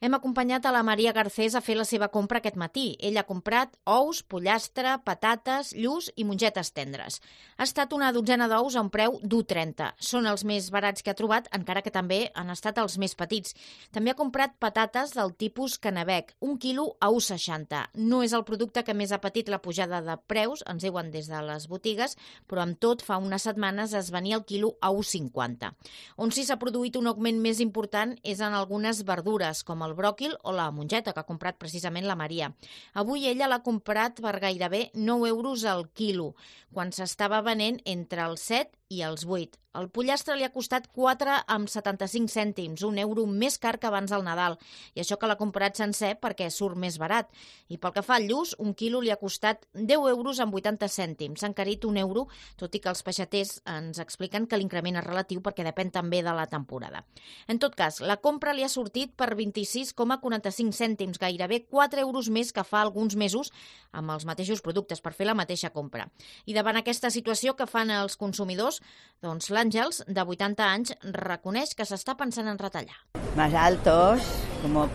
Hem acompanyat a la Maria Garcés a fer la seva compra aquest matí. Ella ha comprat ous, pollastre, patates, lluç i mongetes tendres. Ha estat una dotzena d'ous a un preu d'1,30. Són els més barats que ha trobat, encara que també han estat els més petits. També ha comprat patates del tipus Canebec, 1 quilo a 1,60. No és el producte que més ha patit la pujada de preus, ens diuen des de les botigues, però amb tot fa unes setmanes es venia el quilo a 1,50. On sí s'ha produït un augment més important és en algunes verdures, com el bròquil o la mongeta, que ha comprat precisament la Maria. Avui ella l'ha comprat per gairebé 9 euros al quilo, quan s'estava venent entre els 7 i els 8. El pollastre li ha costat 4,75 cèntims, 1 euro més car que abans del Nadal, i això que l'ha comprat sencer perquè surt més barat. I pel que fa al lluç, 1 quilo li ha costat 10 euros amb 80 cèntims. S'ha encarit 1 euro, tot i que els peixaters ens expliquen que l'increment és relatiu perquè depèn també de la temporada. En tot cas, la compra li ha sortit per 26,45 cèntims, gairebé 4 euros més que fa alguns mesos amb els mateixos productes per fer la mateixa compra. I davant aquesta situació que fan els consumidors, doncs l'Àngels, de 80 anys, reconeix que s'està pensant en retallar. Más altos,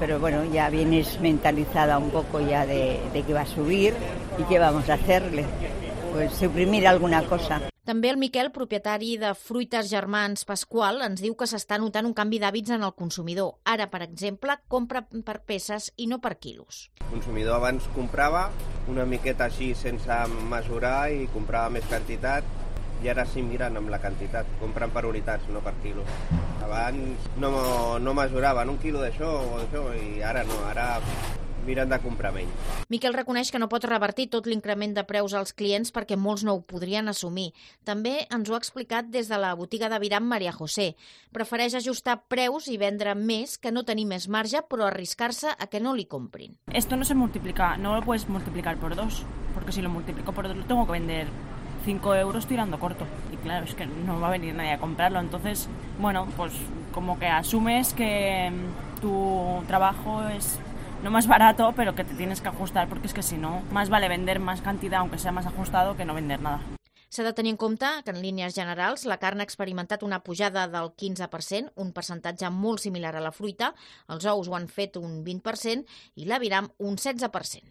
pero bueno, ya vienes mentalizada un poco ya de que va a subir y qué vamos a hacerle, pues suprimir alguna cosa. També el Miquel, propietari de Fruites Germans Pasqual, ens diu que s'està notant un canvi d'hàbits en el consumidor. Ara, per exemple, compra per peces i no per quilos. El consumidor abans comprava una miqueta així sense mesurar i comprava més quantitat, i ara sí miren amb la quantitat, compren per unitats, no per quilos. Abans no mesuraven 1 quilo d'això o d'això i ara no, ara miren de comprar menys. Miquel reconeix que no pot revertir tot l'increment de preus als clients perquè molts no ho podrien assumir. També ens ho ha explicat des de la botiga d'Aviram Maria José. Prefereix ajustar preus i vendre més que no tenir més marge, però arriscar-se a que no li comprin. Esto no se multiplica, no lo puedes multiplicar por 2, porque si lo multiplico por 2 lo tengo que vender 5 euros tirando corto. Y claro, es que no va a venir nadie a comprarlo. Entonces, bueno, pues como que asumes que tu trabajo es no más barato, pero que te tienes que ajustar, porque es que si no, más vale vender más cantidad, aunque sea más ajustado, que no vender nada. S'ha de tenir en compte que, en línies generals, la carn ha experimentat una pujada del 15%, un percentatge molt similar a la fruita, els ous ho han fet un 20% i l'aviram un 16%.